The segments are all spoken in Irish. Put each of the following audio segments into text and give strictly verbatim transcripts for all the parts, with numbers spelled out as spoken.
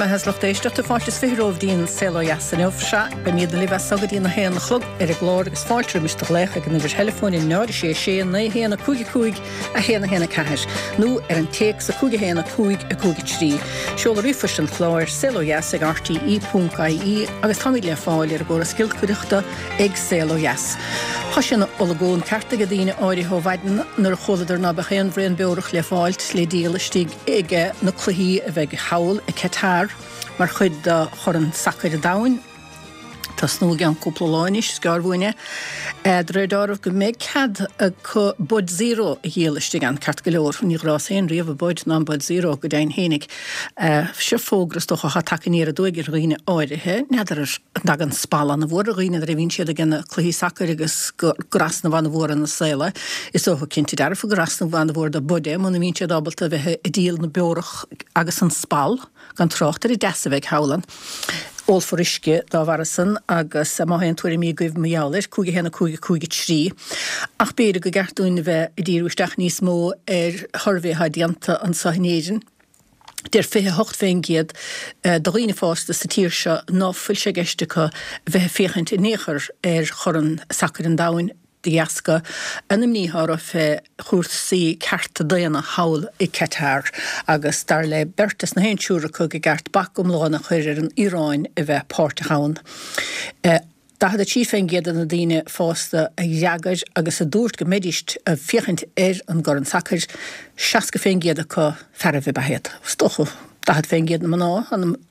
mbeatha is lucht éisteachta fáilte is fiche romhaibh dtí'n Saol Ó Dheas inniu. Sea, beimid libh as so go dtí'n a haon a chlog ar an gclár agus fáilte roimis do ghlaoch ag an uimhir theileafóin a náid a sé sé naoi a haon a cúig a cúig a haon a haon a ceathair nó ar an téacs a cúig a haon a cúig a cúig a trí. Seoladh ríomhphoist an chláir saol ó dheas ag rte ponc ie agus táimid le fáil ar an gcóras giolcaireachta ag Saol Ó Dheas. Tá sé ina olagón ceart ag daoine áirithe ó mhaidin nuair a chualadar ná beadh aon bhraon beorach le fáilt le díol istigh ag na cluichí a bheidh thall i Qatar mar chuid de Chorn Sacair an Domhain. Tosnú i gceann cúpla lá anois, is gearr uainn é. De réir dealraimh go mbeidh cead acu Bud Zero a dhíol istigh ann, ceart go leor. Ní ghrás féin riamh an Bud ná an Bud Zero go deimhin fhéinig. Seo fógra is dócha atá tagtha aniar aduaidh ar dhaoine áirithe. N'fheadar an dtagann spal an-mhór ar dhaoine nuair a bhíonn siad ag na cluichí sacair agus gur easnamh an-mhór ina saol é. Is dócha cinnte dearfa gur easnamh an-mhór do Bud é muna mbíonn siad ábalta a bheith ag díol na beorach agus an spal, gan trácht ar an dteas a bheidh thall ann. Ólfar uisce dá bharra san agus má tá aon tuairimí agaibh mar gheall air, cúig a haon a cúig a cúig a trí. Ach b'fhéidir go gceart dúinn a bheith ag díriú isteach níos mó ar shuirbhé atá déanta anseo in Éirinn. Deir fiche a hocht faoin gcéad de dhaoine fásta sa tír seo ná fuil sé i gceist acu bheith ag féachaint in aon chor ar Chorn Sacair an Domhain. de dheasca an imní atá orthu fé chúrsaí cearta daonna thall i Qatar agus dar le beirt as na haon triúr acu go gceart bac iomlán a chur ar an Iaráin a bheith páirteach ann. daichead a trí faoin gcéad de na daoine fásta a d'fhreagair agus a dúirt go mbeidís ag féachaint ar an gCorn Sacair, seasca faoin gcéad acu fearaibh ab ea iad. Is dócha. daichead faoin gcéad na mná,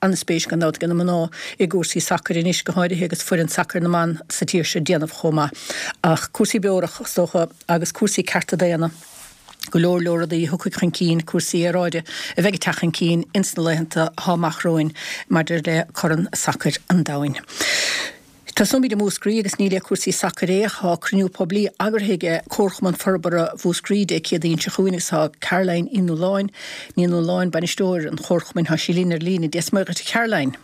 an-spéis gan dabht ag na mná i gcúrsaí sacair anois, go háirithe agus foireann sacair na mban sa tír seo ag déanamh chomh maith. Ach cúrsaí beorach, is dócha, agus cúrsaí cearta daonna, go leor leor rudaí a thiocfaidh chun cinn, cúrsaí aeráide a bheidh ag teacht chun cinn ins na laethanta atá amach romhainn maidir le Corn Sacair an Domhain. Tosóimid i Múscraí agus ní le cúrsaí sacair é ach tá cruinniú poiblí eagraithe ag Comharchumann Forbartha Mhúscraí Dé Céadaoin seo chugainn agus tá Caroline Uí Nualláin, Ní Nualláin, bainisteoir an Chomharchumainn, tá sí linn ar líne. Dia is Muire dhuit a Charoline.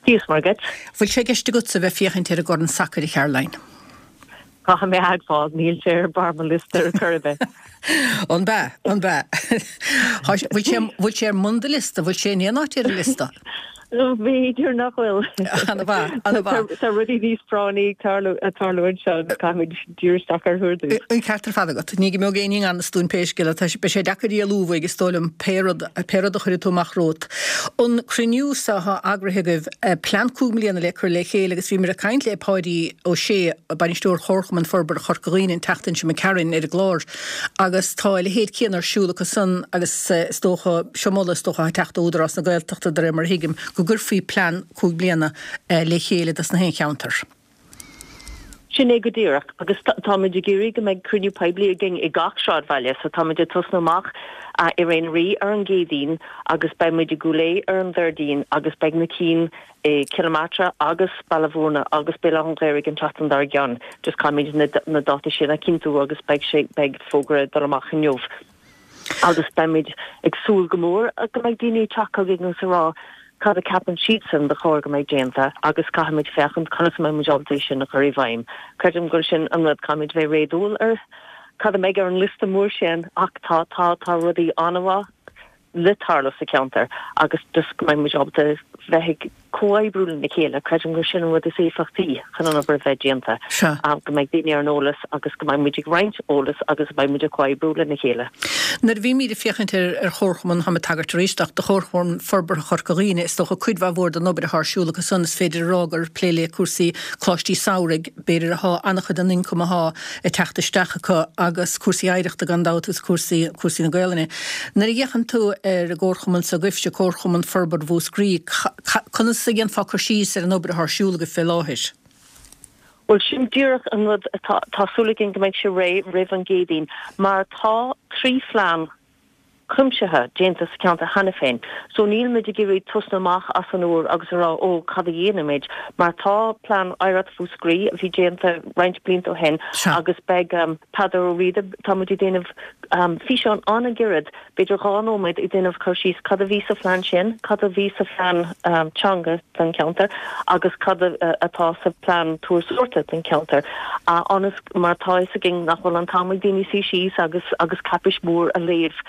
Dia is Muire dhuit. Bhfuil sé i gceist agatsa a bheith féachaint ar an gCorn Sacair a Charoline? Caithfidh mé a admháil, níl sé ar barr mo liosta ar chor ar bith. An b'ea? An b'ea? Bhfuil sé bhfuil sé ar mbun do liosta? Bhfuil sé in aon áit ar an liosta? B'fhéidir nach bhfuil. Ana mhaith, ana mhaith. Tá rudaí níos práinní ag tarlú ag tarlú anseo agus caithfimid díriú isteach orthu ar dtús. An ceart ar fad agat. Ní go mbeadh éinne i ngan fhios dúinn pé scéal é. Tá sé beidh sé deacair rialú uaidh is dóigh liom pé rud pé rud a chuirfidh tú amach romhat. An cruinniú so atá eagraithe agaibh, plean cúig mbliana le cur le chéile agus bhíomar ag caint le Páidí Ó Sé, bainisteoir Chomharchumann Forbartha Chorca Dhuibhne an tseachtain seo imigh tharainn ar an gclár agus tá a leithéid céanna ar siúl acu san agus is dócha, seo moladh is dócha atá ag teacht ó Údarás na Gaeltachta de réir mar a thuigim, go gcuirfí plean cúig bliana le chéile dos na haon cheantar. Sin é go díreach agus táimid ag iarraidh go mbeidh cruinniú poiblí againn i gach sráidbhaile so táimid ag tosnú amach i Ré na Rí ar an gCéadaoin agus beidh muid i gCúil Aodha ar an Déardaoin agus beidh na cinn i Cill na Martra agus Baile Bhúirne agus Béal Átha an Ghaorthaidh an tseachtain dár gcionn. Just caithfimid na na dátaí sin a chinntiú agus beidh sé beidh fógra ag dul amach inniu agus beimid ag súil go mór go mbeidh daoine ag teacht chugainn agus ag rá cad a ceapann siadsan ba chóir go mbeidh déanta agus caithfimid féachaint conas a mbeidh muid ábalta é sin a chur i bhfeidhm. Creidim go bhfuil sin an rud, caithfimid bheith réadúil ar cad a mbeidh ar an liosta mór sin ach tá tá tá rudaí an-mhaith le tarlú sa cheantar agus just go mbeidh muid ábalta bheith ag comhoibriú lena chéile, creidim gur sin an rud is éifeachtaí chun an obair a bheith déanta, go mbeidh daoine ar an eolas agus go mbeidh muid ag roinnt eolas agus go mbeidh muid ag comhoibriú lena chéile. Nuair a bhímid ag féachaint ar Chomharchumann, táim ag tagairt arís do Chomharchumann Forbartha Chorca Dhuibhne, is dócha cuid mhaith mhór den obair atá ar siúl acu san, is féidir a rá gur plé le cúrsaí coláistí samhraidh, b'fhéidir, atá an-chuid den ioncam atá ag teacht isteach acu agus cúrsaí oidhreachta gan dabht agus cúrsaí, cúrsaí na Gaelainne. Nuair a fhéachann tú ar an gcomharchumann s'agaibhse, Comharchumann Forbartha Mhúscraí, conas a dhéanfá cur síos ar an obair atá ar siúl agaibh fé láthair? Bhuel, sin díreach an rud atá, tá súil againn go mbeidh sé réidh roimh an gCéadaoin mar tá trí phlean cuimsithe déanta sa cheantar cheana féin. So níl muid ag iarraidh tosnú amach as an úr agus a rá ó cad a dhéanfaimid mar tá plean Oidhreacht Mhúscraí a bhí déanta roinnt blianta ó shin agus beidh Peadar Ó Riada, tá muid ag déanamh físeán an-ghairid, b'fhéidir dhá nóiméad, ag déanamh cur síos cad a bhí sa phlean sin, cad a bhí sa phlean teanga don cheantar agus cad atá sa phlean turasóireachta don cheantar ionas mar tá fhios againn nach bhfuil an t-am ag daoine suí síos agus agus cáipéis mhór a léamh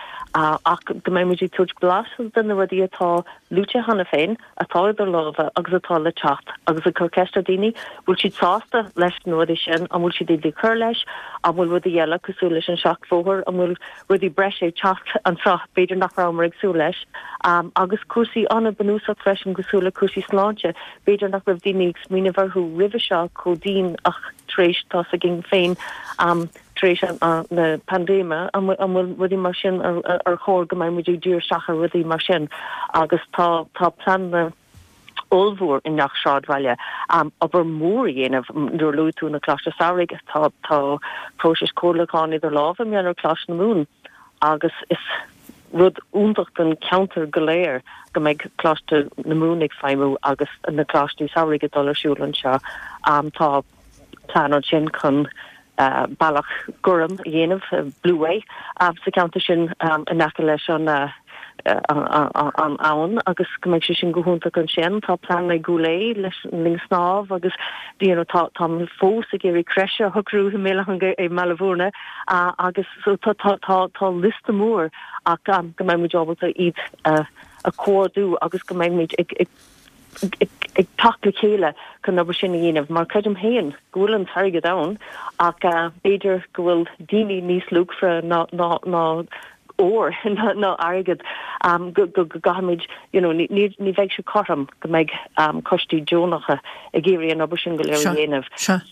Ach go mbeidh muid ag tabhairt blas de na rudaí atá luaite cheana féin, atá idir lámha agus atá le teacht agus ag cur ceist ar daoine, bhfuil siad sásta leis na rudaí sin, an bhfuil siad ag cur leis, an bhfuil rudaí eile cosúil leis an seachbhóthar, an bhfuil rudaí breise ag teacht anseo b'fhéidir nach rabhamar ag súil leis, agus cúrsaí an-bhunúsach freisin cosúil le cúrsaí sláinte, b'fhéidir nach raibh daoine ag smaoineamh orthu roimhe seo chomh dian ach tar éis tá 's againn féin tar éis na paindéime an bhfuil rudaí mar sin ar chóir go mbeidh muid ag díriú isteach ar rudaí mar sin agus tá tá pleananna ollmhór i ngach sráidbhaile obair mhór a dhéanamh nuair a luaigh tú na Coláiste Samhraidh tá tá próiseas comhairliúcháin idir lámha i mbliana ar Choláiste na Mumhan agus is rud iontach don cheantar go léir go mbeidh Coláiste na Mumhan ag feidhmiú agus na Coláistí Samhraidh ag dul ar siúl anseo. Tá plean ansin chun bealach gorm a dhéanamh, Blueway, sa cheantar sin in aice leis an an abhainn agus go mbeidh sé sin go hiontach ansin. Tá plean i gCúil Aodha leis an linn snámh agus you know tá tá fós ag iarraidh crèche a shocrú i mBaile Bhúirne agus so tá tá tá tá liosta mór ach go mbeidh muid ábalta iad a chomhordú agus go mbeidh muid ag ag ag teacht le chéile chun obair sin a dhéanamh mar creidim féin go bhfuil an t-airgead ann ach b'fhéidir go bhfuil daoine níos luachmhaire ná ná ná ór ná airgead go go gcaithfimid you know ní ní bheidh sé cothrom go mbeidh coistí deonacha ag iarraidh an obair sin go léir a dhéanamh.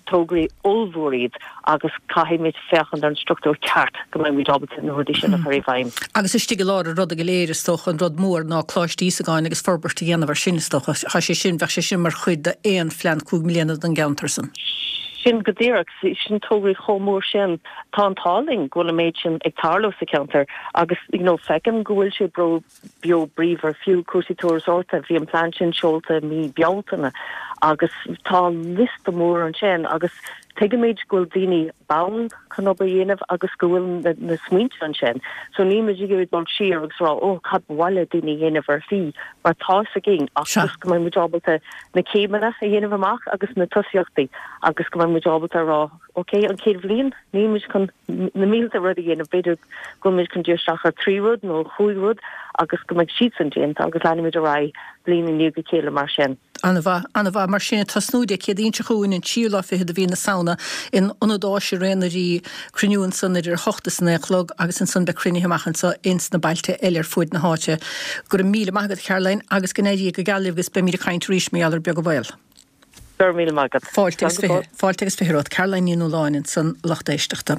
Tograí ollmhór iad agus caithfimid féachaint ar an struchtúr ceart go mbeimid ábalta na rudaí sin a chur i bhfeidhm. Agus istigh i lár an ruda go léir is dócha an rud mór ná Coláiste Íosagáin agus forbairt a dhéanamh ar sin is dócha. Tá sé sin, bheadh sé sin mar chuid d'aon phlean cúig mbliana don gceantar san. Sin go díreach, sin tograí chomh mór sin. Tá an t-ádh linn go bhfuil an méid sin ag tarlú sa cheantar agus you know feicim go bhfuil sé bro beo bríomhar fiú cúrsaí turasóireachta, bhí an plean sin seolta mí Bealtaine agus tá liosta mór ansin agus tuigimid go bhfuil daoine bonn chun obair a dhéanamh agus go bhfuil na, na smaointe ansin. So nílimid ag iarraidh dul siar agus rá ó cad ba mhaith le daoine a dhéanamh ar shlí mar tá 'fhios againn ach just go mbeidh muid ábalta na céimeanna a dhéanamh amach agus na tosaíochtaí agus go mbeidh muid ábalta a rá ok an chéad bhliain nílimid chun na mílte rud a dhéanamh b'fhéidir go bhfuil muid chun díriú isteach ar trí rud nó chúig rud agus go mbeidh siadsan déanta agus leanfaimid ar aghaidh bliain i ndiaidh a chéile mar sin. An-mhaith, an-mhaith. Mar sin, tosnú Dé Céadaoin seo chugainn, an tríú lá fichead de mhí na Samhna, in Ionad Áise Raon na Rí, cruinniú ansan idir a hocht is a naoi a chlog agus ansan beidh cruinnithe amach anso ins na bailte eile ar fuaid na háite. Go raibh míle maith agat, a Charoline, agus go n-éirí go geal libh agus beimid ag caint arís mar gheall air beag an baol. Go raibh míle maith agat. Fáilte agus fiche, fáilte agus fiche romhat. Caroline Ní Nualláin ansan, lucht éisteachta.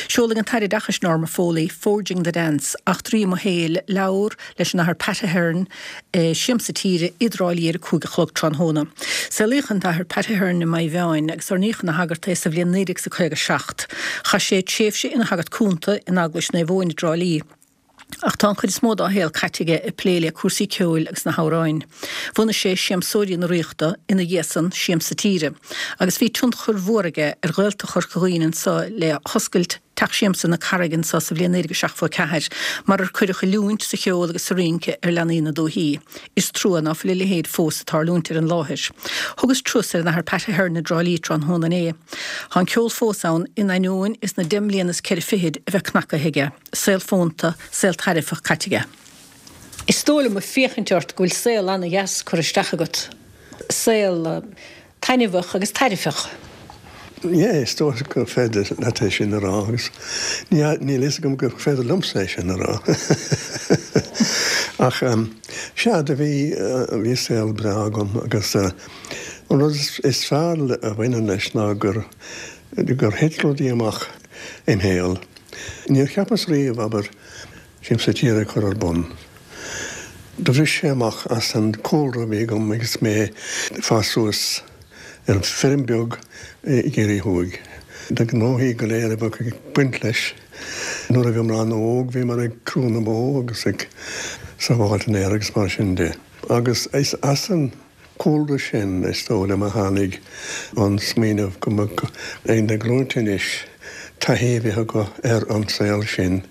Seolfaidh an tAire Oideachais Norma Foley, Forging the Dance, Eachtraí Mo Shaoil, leabhar leis an Athair Pat Ahern i Siamsa Tíre i dTrá Lí ar a cúig a chlog tráthnóna. Saolaíodh an tAthair Pat Ahern i Maigh Mheáin agus oirníodh ina shagart é sa bhliain naoi déag is a caoga seacht. Chaith sé tréimhse ina shagart cúnta in Eaglais Naomh Eoin i dTrá Lí. Ach tá an chuid is mó dá shaol caite aige ag plé le cúrsaí ceoil agus na hamhráin. Bhunaigh sé Siamsóirí na Ríochta, ina dhiaidh san, Siamsa Tíre, agus bhí tionchar mhór aige ar Ghaeltacht Chorca Dhuibhne anso le hoscailt Teach Siamsa na Carraige anso sa bhliain naoi déag seachtó a ceathair, mar ar cuireadh oiliúint sa cheol agus sa rince ar leanaí na dúichí. Is trua ná fuil a leithéid fós ag tarlúint ar an láthair. Thugas turas ar an Athair Pat Ahern i dTrá Lí tráthnóna inné. Tá an ceol fós ann in ainneoin is na deich mbliana is ceithre fichid a bheith cnacaithe aige. Saol fónta, saol tairbheach caite aige. Is dóigh liom ag féachaint ort go bhfuil saol ana-dheas curtha isteach agat. Saol taitneamhach agus tairbheach. Yeah, is dóigh gur féidir leat é sin a rá agus níl fhios agam gur féidir liomsa é sin a rá. Ach sea, do bhí, bhí saol breá agam agus an rud is fearr a bhaineann leis ná gur, gur thit rudaí amach im shaol. Níor cheapas riamh, abair, Siamsa Tíre a chur ar bun. Do bhris sé amach as an cúlra a bhí agam agus mé ag fás suas ar feirm beag i gCiarraí Thuaidh. Na gnóthaí go léir a bheadh ag baint leis. Nuair a bhíomar an-óg bhíomar ag crú na mbó agus ag sábháilt an fhéir agus mar sin de. Agus is as an cúlra sin, is dóigh liom, a tháinig an smaoineamh go mbeadh ag na glúinte anois taithí a bheith acu ar an saol sin.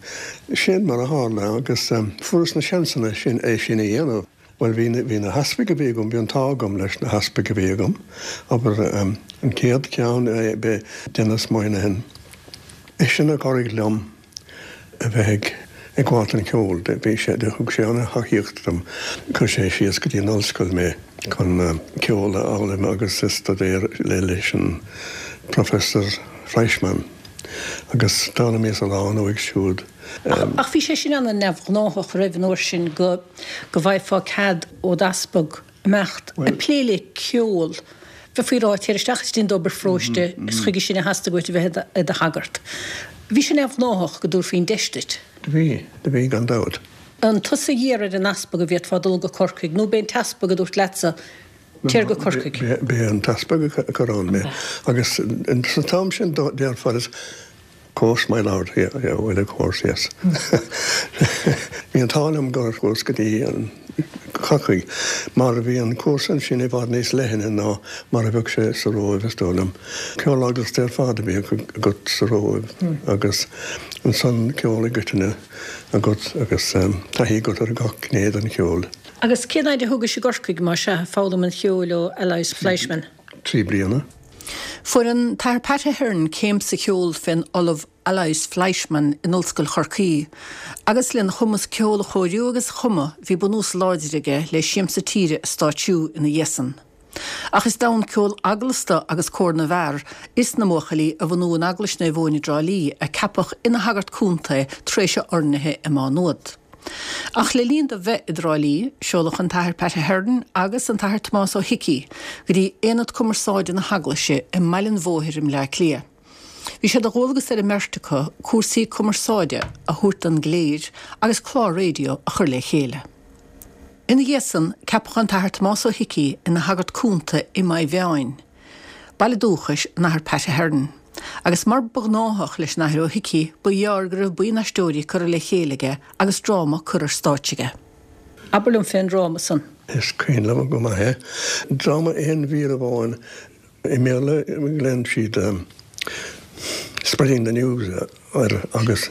Sin mar a tharla agus fuaireas na seansanna sin é sin a dhéanamh. Bhuel, bhí, bhí na heaspaig a bhí agam, bhí an t-ádh agam leis na heaspaig a bhí agam. Abair, an chéad cheann, b'é Denis Moynihan. Eisean a chabhraigh liom a bheith ag ag gabháil don cheol. Bhí sé, thug sé an-tacaíocht dom. Chuir sé síos go dtí an ollscoil mé chun ceol a fhoghlaim agus a staidéar le leis an Professor Fleischmann. Agus d'fhoghlaimíos a lán uaidh siúd. Ach bhí sé sin an-neamhghnáthach roimh an uair sin go go bhfaighfeá cead ó d'easpag imeacht ag plé le ceol. Bheifí ag rá, téir isteach is déan d'obair pharóiste, is chuige sin a theastaigh uait a bheith i do shagart. Bhí sé neamhghnáthach go dtabharfaí an deis duit. Do bhí, do bhí gan dabht. An tusa a d'iarr ar an easpag an bhféadfá dul go Corcaigh nó b'é an t-easpag a dúirt leatsa téir go Corcaigh? B'é an t-easpag a chuir ann mé agus san t-am sin déarfá is course my lord, yeah, yeah, well of course, yes. Bhí an t-ádh liom gur chuas go dtí an Corcaigh mar bhí an cúrsa ansin i bhfad níos leithne ná mar a bheadh sé sa Róimh is dóigh liom. Ceol eaglasta ar fad a bhí agat sa Róimh agus ansan ceol i gcoitinne agat agus taithí agat ar gach gné den cheol. Agus cén fhaid a thógais i gCorcaigh más ea ag foghlaim an cheoil ó Aloys Fleischmann? Trí bliana. Fuair an tAthair Pat Ahern céim sa cheol fén Ollamh Aloys Fleischmann in Ollscoil Chorcaí, agus lena chumas ceol a chóiriú agus a chumadh bhí bunús láidir aige le Siamsa Tíre a stáitsiú ina dhiaidh san. Ach is d'fhonn ceol eaglasta agus cór na bhfear is na mbuachaillí a bhunú in Eaglais Naomh Eoin i dTrá Lí a ceapadh ina shagart contae tar éis a oirnithe i Má Nuad. Ach le linn dó bheith i dTrá Lí, seoladh an tAthair Pat Ahern agus an tAthair Tomás Ó hIcí go dtí Aonad Cumarsáide na hEaglaise i mBaile an Bhóthair i mBleá Cliath. Bhí sé de dhualgas ar an mbeirt acu cúrsaí cumarsáide a thabhairt don gcléir agus clár raidió a chur le chéile. Ina dhiaidh san, ceapadh an tAthair Tomás Ó hIcí ina shagart cúnta i Maigh Mheáin, baile dúchais an Athar Pat Ahern. Agus mar ba ghnáthach leis an Athair Ó hIcí, ba ghearr go raibh buíon aisteoirí curtha le chéile aige agus dráma curtha ar stáitse aige. Abair liom fén dráma san. Is cuimhin liom go maith é. Dráma aon mhír amháin. I mBéarla glaonn siad Spreading the News air agus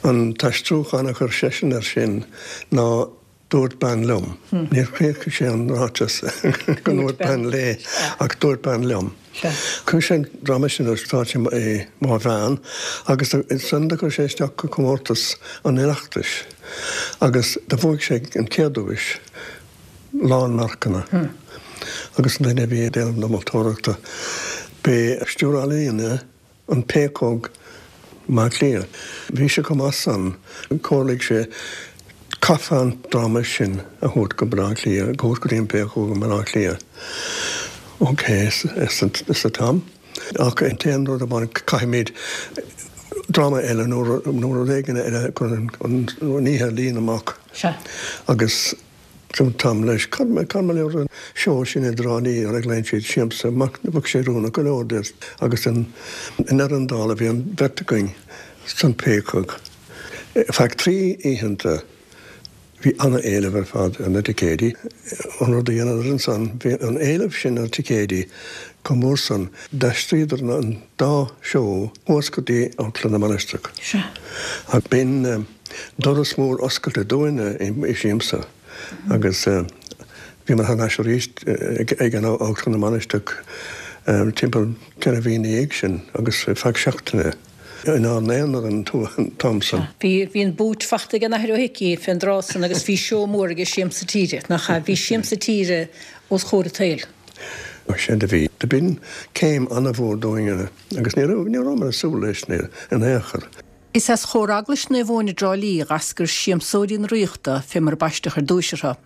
an t-aistriúchán a chuir seisean air sin ná Dúirt bean liom. Níor chríochnaigh sé an ráiteas go ndúirt bean léi ach dúirt bean liom. Chuir sé an dráma sin ar stáitse i Maigh Mheáin agus ansan do chuir sé isteach go comórtas an Oireachtais agus do bhuaigh sé an chéad duais, lán marcanna. Agus an duine a bhí ag déanamh na moltóireachta, b'é Stiúrthóir Ealaíne An Péacóg i mBleá Cliath. Bhí sé chomh maith san, chomhairligh sé, caithfeá an dráma sin a thabhairt go Baile Átha Cliath, a thabhairt go dtí an Péacóg i mBaile Átha Cliath. Ok, arsa Tom. Ach an t-aon rud amháin, caithfimid dráma eile nó rud éigin eile chun an oíche a líonadh amach. Agus. Dúirt Tom leis, Cad mar gheall ar an seó sin i dTrá Lí ar a nglaonn siad siamsa, bheadh sé oiriúnach go leor duit agus i ndeireadh na dála bhí an bheirt againn san Péacóg. Feadh trí oícheanta bhí ana-éileamh ar fad ar na ticéidí. An rud a dheineadar ansan, bhí an éileamh sin ar ticéidí chomh mór san, d'aistríodar an dá seó thuas go dtí Amharclann na Mainistreach. Ach b'in doras mór oscailte dúinne i Siamsa. Agus bhíomar thar n-ais arís ag an Amharclann na Mainistreach timpeall ceithre mhí ina dhiaidh sin agus ar feadh seachtaine inár n-aonar an t-am san. Bhí, bhí an bút fachta ag an Athair Ó hIcí fén dtráth san agus bhí seó mór aige Siamsa Tíre, nach ea? Bhí Siamsa Tíre os chomhair an tsaoil. Sea do bhí. Do b'in céim ana-mhór dúinne agus ní raibh, ní rabhamar ag súil leis in aon chor. Is as Chór Eaglais Naomh Eoin i dTrá Lí dh'eascair Siamsóirí na Ríochta fé mar a baisteadh ar dtúis orthu,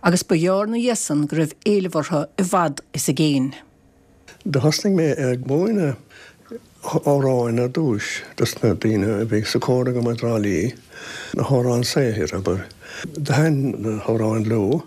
agus ba ghearr 'na dhiaidh san go raibh éileamh orthu i bhfad is i gcéin. Do thosnaigh mé ag múineadh amhráin ar dtúis dos na daoine a bhí sa chór agam i dTrá Lí, na hamhráin saothair, abair. Do thaitin na hamhráin leo.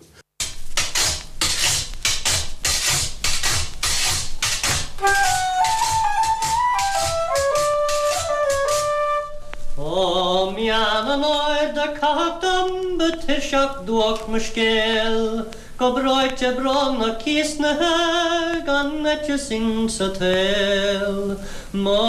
Ó mheán an áir do caitheadh dom ba tuirseach duairc mo scéal Go breoite brónach cíosnaithe gan aiteas insa tsaol Mo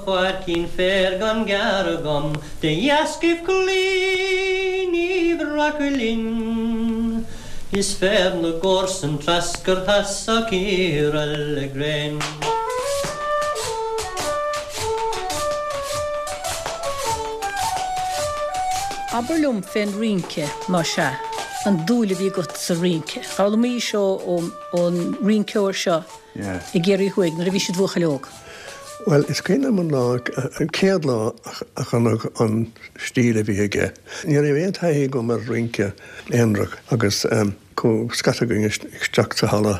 pháircín féir gan gearradh agam de dheascaibh cloí ní rachadh linn Is féar na gcomharsan treascartha 's á cíoradh le gréin. Abair liom fén rince, más ea, an dúil a bhí agat sa rince. D'fhoghlaimís ó ón rinceoir seo i gCiarraí Thuaidh nuair a bhí siad buachaill óg. Bhuel, is cuimhin liom an lá, an chéad lá a chonac an stíl a bhí aige. Ní raibh aon taithí agam ar rince aonarach agus chuaigh scata againn isteach sa halla.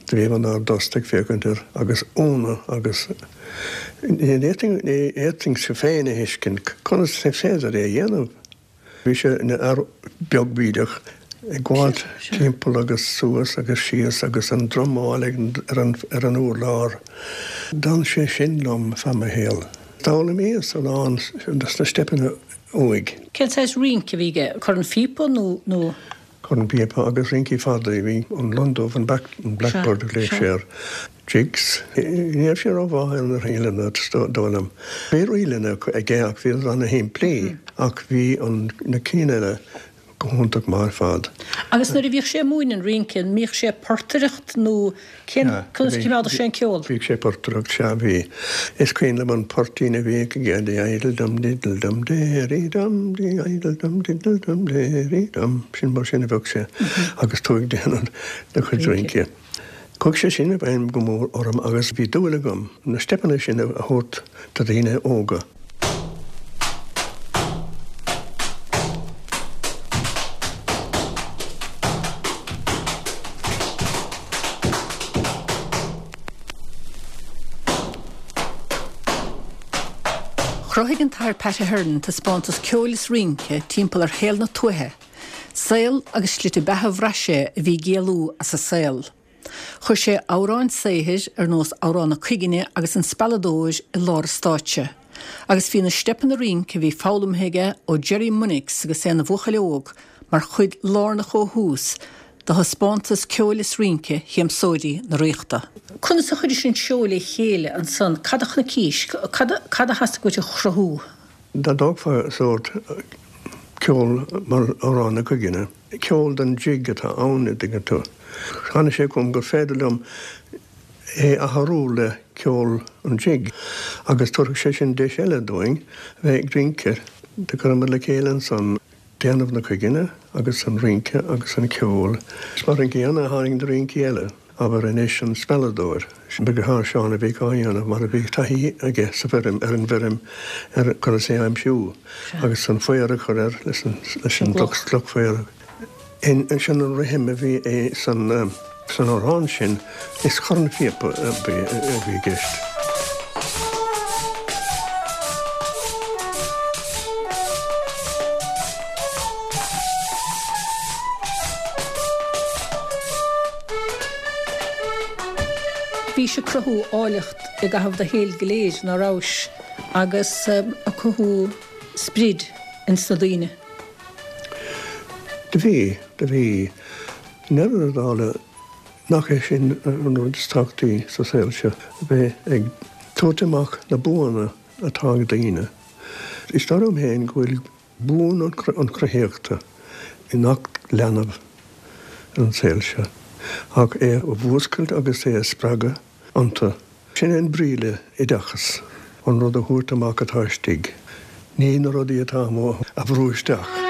Do bhí inár dtost ag féachaint air agus ionadh agus ní fhéadfainnse féin a thuiscint conas is féidir é a dhéanamh. Bhí sé ina fhear beag bídeach ag gabháilt timpeall agus suas agus síos agus an drumáil ar an ar an urlár. D'fhan sé sin liom feadh mo shaoil. D'fhoghlaimíos a lán de na steipeanna uaidh. Cén saghas rince a bhí aige? Cornphíopa nó nó? Cornphíopa agus rincí fada. Bhí an lon dubh, an blackbird a ghlaoigh sé air. Jigs. Ní raibh sé rómhaith ar na ríleanna, is dóigh liom. Bhí ríleanna aige ach bhí siad ana-shimplí ach bhí na cinn eile go hiontach maith ar fad. Agus nuair a bhíodh sé ag múineadh an rince, an mbíodh sé ag portaireacht nó cén, conas a choimeádadh sé an ceol? Bhíodh sé ag portaireacht, sea, bhí. Is cuimhin liom an poirtín a bhíodh aige, dí idle dum diddle dum dairy dum, dí idle dum diddle dum dairy dum, sin mar sin a bheadh sé agus tú ag déanamh do chuid rince. Chuaigh sé sin i bhfeidhm go mór orm agus bhí dúil agam na steipeanna sin a thabhairt do dhaoine óga. Chruthaigh an tAthair Pat Ahern taispeántas ceoil is rince timpeall ar shaol na tuaithe, saol agus slite beatha a bhraith sé a bhí ag éalú as an saol. Chuir sé amhráin saothair ar nós Amhrán na Cuiginne agus An Spealadóir i lár an stáitse, agus bhí na steipeanna rince a bhí foghlamtha aige ó Jerry Munnix agus é ina bhuachaill óg mar chuid lárnach ó thús de thaispeántas ceoil is rince Shiamsóirí na Ríochta. Conas a chuiris an seó le chéile ansan? Cad a chonaicís? Cad a theastaigh uait a chruthú? Dá dtógfá sórt ceol mar Amhrán na Cuiginne, ceol don jig atá ann, an dtuigeann tú. Tháinig sé chugam gur féidir liom é a athrú le ceol an jig agus tabharfaidh sé sin deis eile dúinn a bheith ag rince. Do chuireamar le chéile ansan déanamh na cuiginne agus an rince agus an ceol. Is mar an gcéanna a tháinig na rincí eile. Abair anois an Spealadóir. Ba dheartháir Seán a bhíodh á dhéanamh mar a bhí taithí aige sa bhfeirm, ar an bhfeirm, ar conas é a aimsiú agus an faobhar a chur air leis an gcloch faobhair. Sin an rithim a bhí san amhrán sin, is cornphíopa a bhí i gceist. Bhís ag cruthú áilleacht i gcaitheamh do shaoil go léir, ná rabhais, agus ag cothú sprid ins na daoine. Do bhí, do bhí. I ndeireadh na dála, nach é sin an rud is tábhachtaí sa saol seo, a bheith ag tabhairt amach na buanna atá ag daoine. Is dóigh liom féin go bhfuil buan an chruthaíochta i ngach leanbh ar an saol seo, ach é a mhúscailt agus é a spreagadh iontu. Sin é an brí le oideachas, an rud a thabhairt amach atá istigh, ní na rudaí atá amuigh a bhrú isteach.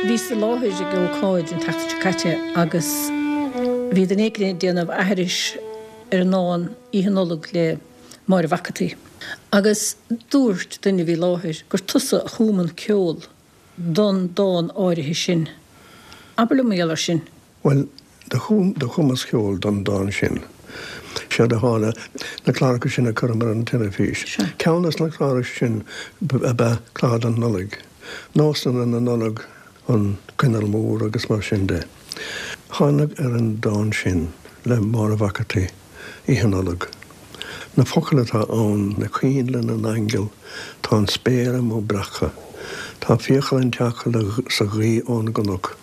Bhíos i láthair ag ócáid an tseachtain seo caite agus bhí duine éigin ag déanamh aithris ar an ndán Oíche Nollag le Máire Mhac an tSaoi agus dúirt duine a bhí i láthair gur tusa a chum an ceol don dán áirithe sin. Abair liom mar gheall air sin. Bhuel, do chum, do chumas ceol don dán sin. Séard a tharla, na cláracha sin a chuireamar ar an teilifís. Ceann des na cláracha sin ab ea clár don Nollaig. Nósanna na Nollag, an coinneal mór agus mar sin de. Thánag ar an dán sin le Máire Mhac an tSaoi, Oíche Nollag. Na focail atá ann, na coinnle na n-aingeal, tá an spéir amuigh breactha, Tá fiacail an tseacail sa ghaoth ón gcnoc.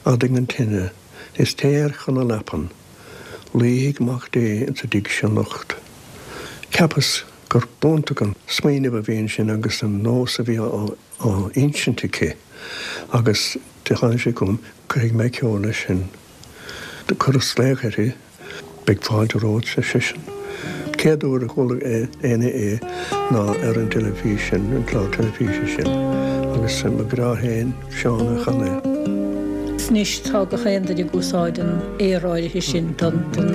Adaigh an tine, is téir chun na leapan. Luífidh Mac Dé insa dtigh seo anocht. Cheapas gur b'iontach an smaoineamh a bhí ansin agus an nós a bhí á insint aici agus do tháinig sé chugam, cuirfidh mé ceol leis sin. Do chuireas glaoch uirthi, beidh fáilte romhat, ar seisean. Céad uair a chuala éinne é ná ar an teilifís sin, an clár teilifíse sin, agus mo ghrá féin, Seán a chan é. Anois tá gach aon duine ag úsáid an aoir áirithe sin don dán.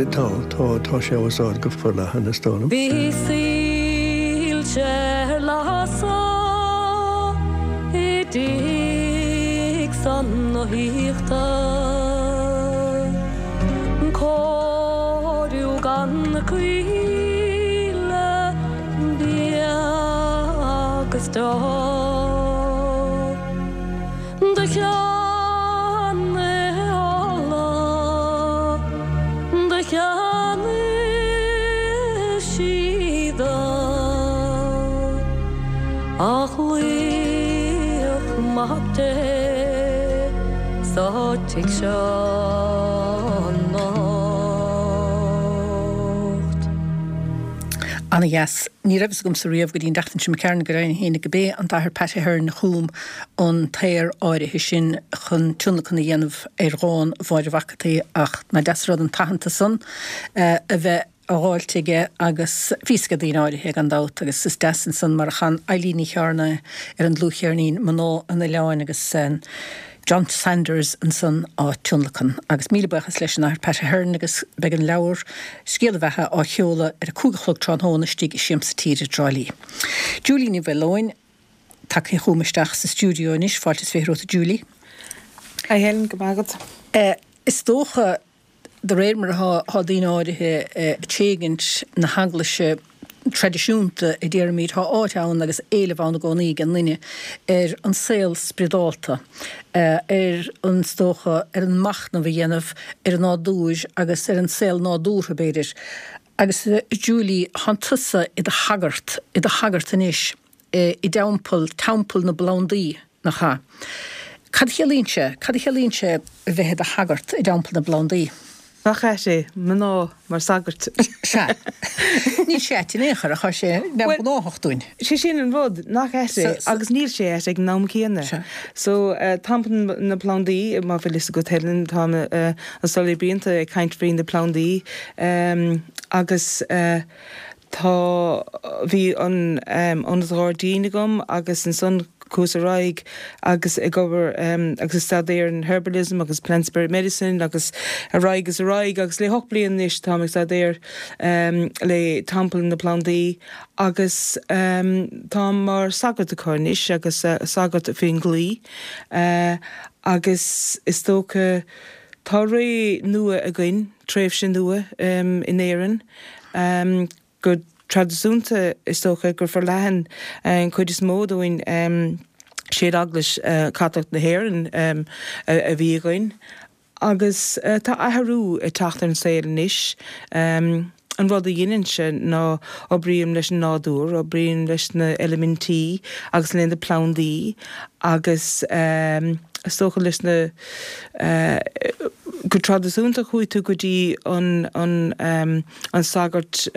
Tá, tá, tá sé á úsáid go forleathan is dóigh liom. Bhí soilse ar lasadh i dtigh san na haíochta, Cóiriú gan caoile bia agus deoch. Do cheannaigh ola, do cheannaigh síoda, Ach luíodh Mac Dé sa tigh seo anocht. Ana-dheas. Ní raibh fhios agamsa riamh go dtí an tseachtain seo imigh tharainn go deimhin féin go b'é an tAthair Pat Ahern a chum an t-aor áirithe sin chun tionlacan a dhéanamh ar dhán Mháire Mhac an tSaoi ach nach deas an rud an t-aitheantas san a bheith á dháilt aige agus bhí fhios ag daoine áirithe gan dabht agus is deas ansan mar a chan Eilín Ní Chearna ar an dlúthcheirnín Mná an Oileáin agus John Sanders ansan á tionlacan. Agus míle buíochas leis an Athair Pat Ahern agus beidh an leabhar Scéal a Bheatha á sheoladh ar a cúig a chlog tráthnóna istigh i Siamsa Tíre i dTrá Lí. Julie Ní Mhaoileoin tagtha chugam isteach sa stiúideo anois, fáilte is fiche romhat a Julie. Hi Helen, go maith agat. Eh, is dócha de réir mar atá daoine áirithe ag tréigint na heaglaise traidisiúnta a déarfaimid, tá áit ann agus éileamh ann i gcónaí ag an nduine ar an saol spioradálta, ar an, is dócha, ar an machnamh a dhéanamh ar an nádúr agus ar an saol nádúrtha, b'fhéidir. Agus Julie, tánn tusa i do shagart, i do shagart anois i dteampall, Teampall na bPlandaí, nach ea? Cad a chiallaíonn sé, cad a chiallaíonn sé a bheith i do shagart i dTeampall na bPlandaí? Nach ait é, mná mar sagairt. Sea. Níl sé ait in aon chor, ach tá sé neamhghnách dúinn. Sé sin an rud, nach ait é, agus níl sé ait ag an am céanna. Sea. So, Teampall na bPlandaí, má bhfuil fhios agat Helen, tá an Soiléir Blianta ag caint faoi na plandaí agus Tá, bhí an ionad gairdín agam agus ansan chuas ar aghaidh agus ag obair agus ag staidéar an herbalism agus plant spirit medicine agus ar aghaidh is ar aghaidh agus le hocht bliana anois táim ag staidéar le Teampall na Plandaí agus táim mar sagart acu anois agus sagart faoin gclaí agus is dócha tá ré nua againn, tréimhse nua in Éirinn. Go traidisiúnta, is dócha gur forleathan an chuid is mó dúinn séad Eaglais Chaitliceach na hÉireann a bhí againn agus tá athrú ag teacht ar an saol anois. An rud a dheinimse ná oibrím leis an nádúr, oibrím leis na eilimintí agus le na plandaí agus is dócha leis na, go traidisiúnta chuaigh tú go dtí an an sagart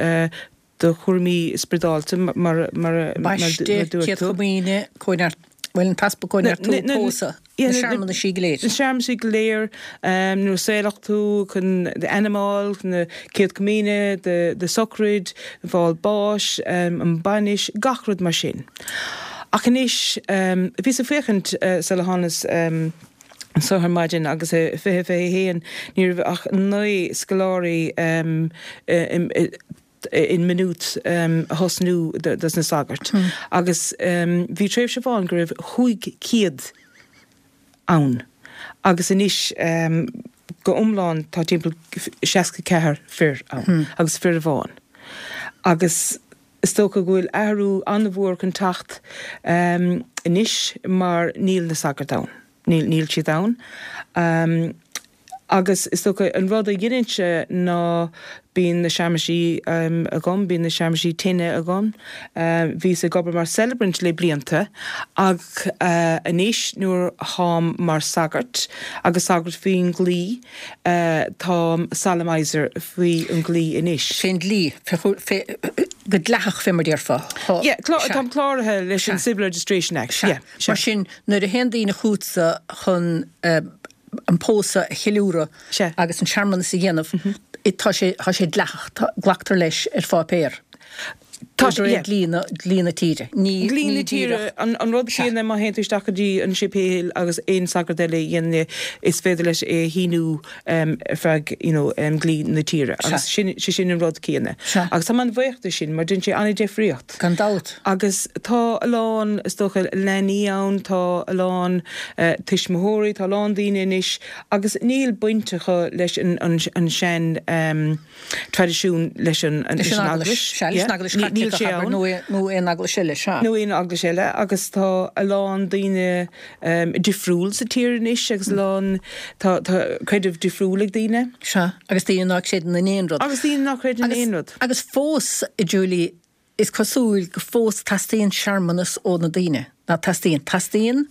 do chúraimí spioradálta mar mar a Baiste, dúirt Céad tú. Chomaoine, Cóineart, bhuel an t-easpag Cóineartú, pósadh, na searmanaisí go léir. Na searmanaisí go léir, nuair a saolaíodh tú, chun d'ainm a fháil, chun na Céad Chomaoine, do sochraid, fáil báis, an bainis, gach rud mar sin. Ach anois, bhíos ag féachaint sula thánas anseo ar maidin agus i fiche fiche a haon ní raibh ach naoi scoláirí in Maynooth a thosnú dos na sagairt agus bhí tréimhse amháin go raibh chúig chéad ann agus anois go iomlán tá timpeall seasca ceathair fir ann agus fir amháin agus is dócha go bhfuil athrú an-mhór chun teacht anois mar níl na sagairt ann, níl, níl siad ann. Agus is dócha an rud a dhéanaimse ná bíonn na searmaisí um, agam, bíonn na searmaisí tine agam. Uh, bhíos ag obair mar celebrant le blianta ach uh, anois nuair táim mar sagart agus sagart faoin dlí uh, táim solemniser faoi an dlí anois. Fén dlí, go dleathach fé mar déarfá. Yeah, táim cláraithe leis an Civil Registration Act. Yeah, Mar sin nuair a théann daoine chugatsa chun uh, an pósadh a cheiliúradh agus an searmanas a dhéanamh, mm -hmm. tá sé tá sé dleathach glactar leis ar pháipéar. Tá sé dlí dlí na tíre. Ní dlí na tíre an an rud céanna má théann tú isteach go dtí an séipéal agus aon sagart eile dhéanamh is féidir leis é shíniú um, feadh you know, um, dlí na tíre agus sin sé sin an rud céanna. Agus tá an-bhuíoch de sin mar déanann sé an-difríocht. Gan dabht. Agus tá a lán is dócha leanaí ann tá a lán uh, tuismitheoirí tá a lán daoine anois agus níl baint acu leis an, an, an sean um, traidisiún leis an, an, leis an eaglais. Níl sé ann. Nó aon eaglais eile sea. Nó aon eaglais eile agus tá a lán daoine um, difriúil sa tír anois agus a lán tá, tá creideamh difriúil ag daoine. Sea, agus daoine nach gcreideann in aon rud. Agus daoine nach gcreideann in aon rud. Agus fós, Julie, is cosúil go fós teastaíonn searmanas ó na daoine. Ná teastaíonn, teastaíonn,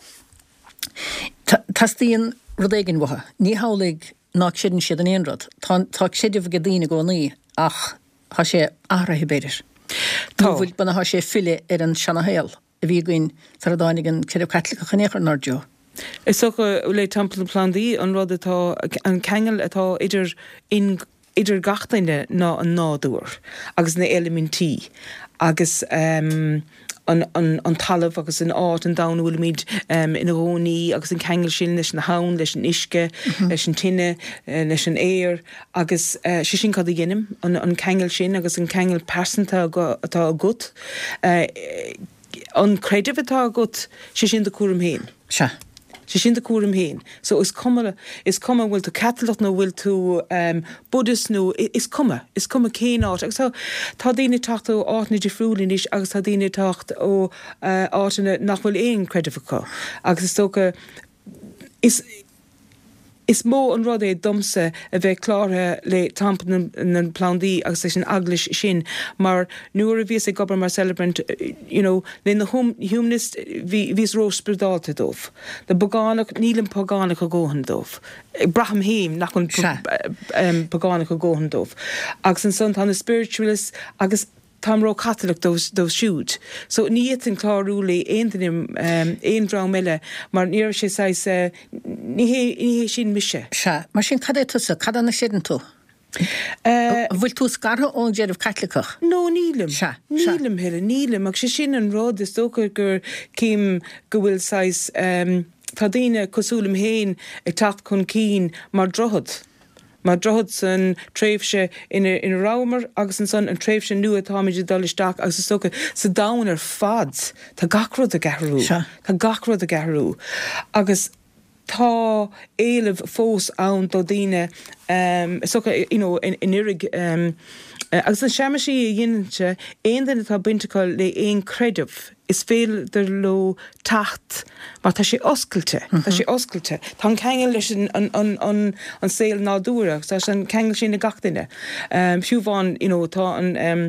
teastaíonn rud éigin uathu. Ní hamhlaidh nach gcreideann siad in aon rud. Tá, tá creideamh ag daoine i gcónaí ach tá sé athraithe b'fhéidir. Tá bhfuil b'fhéidir tá sé filleadh ar an seanashaol a bhí againn sar a dtáinig an creideamh Caitliceach in aon chor inár dtreo. Is dócha le Teampall na Plandaí an rud atá an ceangal atá idir in idir gach duine ná an nádúr agus na eilimintí agus um, an, an, an talamh agus an áit an domhan bhfuilimid um, ina gcónaí agus an ceangal sin leis an habhainn, leis an uisce, mm -hmm. leis an tine, uh, leis an aer agus uh, sé sin cad a dhéanaim an, an ceangal sin agus an ceangal pearsanta atá agat. Uh, an creideamh atá agat sé sin do chúram féin. Sea. Sé sin do chúram féin. So is cuma is cuma bhfuil tú Caitliceach nó bhfuil tú um, Buddhist nó is cuma, is cuma cén áit. Agus tá tá daoine teacht ó áiteanna difriúla anois agus tá daoine teacht ó uh, áiteanna nach bhfuil aon creideamh acu. Agus is dócha is Is mó an rud é domsa a bheith cláraithe le Teampall na, na Plandaí agus leis an eaglais sin mar nuair a bhíos ag obair mar celebrant you know, le na hum, humanist bhí bhíos ró-spioradálta dóibh. Na pagánach nílim pagánach a dhóthain dóibh. Braithim féin nach an um, pagánach a dhóthain dóibh. Agus ansan tá na spiritualist agus táim ró-Chaitliceach dóibh siúd. So ní fhéadfainn clárú le aon duine um, aon dream eile mar ní raibh sé saghas uh, ní hé ní hé sin mise. Sea, mar sin cad é tusa, cad é a chreideann tú? Uh, bhfuil tú scartha ón gcreideamh Caitliceach? No nílim. Sea, nílim Helen, nílim ach sé sin an rud is dócha gur cím go bhfuil saghas um, tá daoine cosúil liom féin ag teacht chun cinn mar droichead. Mar droichead san tréimhse ina ina rabhamar agus ansan an tréimhse nua atáimid ag dul isteach agus is dócha sa domhan ar fad tá gach rud ag athrú. Tá gach rud ag athrú. Agus tá éileamh fós ann do daoine um, is dócha you know, in, in irig um, agus na searmaisí a dhéanaimse aon duine atá baint acu le aon creideamh is féidir leo teacht mar tá sé oscailte, tá sé oscailte. Tá an ceangal leis an, an, an, an, an saol nádúrtha, tá an ceangal sin ag gach duine. Um, fiú amháin, you know, tá an um,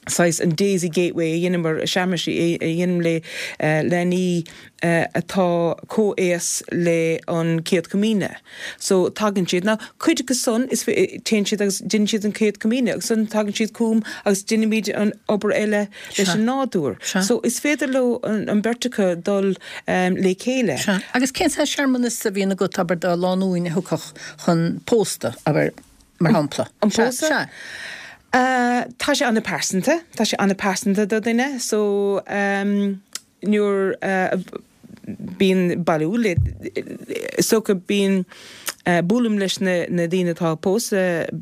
saghas an Daisy Gateway a dheineamar searmaisí a dhéanaim le uh, leanaí uh, atá comhaos le an Chéad Chomaoine. So tagann siad now cuid acu san is téann siad agus déanann siad an Chéad Chomaoine agus san tagann siad chugam agus déanaimid an obair eile leis an nádúr. So is féidir leo an, an bheirt acu dul um, le chéile. Sea. Agus cén saghas searmanas a bhíonn agat abair do lánúin a thiocfadh chun pósta abair mar shampla. An pósadh? Sea. Uh, tá sé an-pearsanta, tá sé an-pearsanta do duine, so um, nuair uh, bíonn bailiú le is dócha bíonn uh, buailim leis na, na daoine atá ag pósadh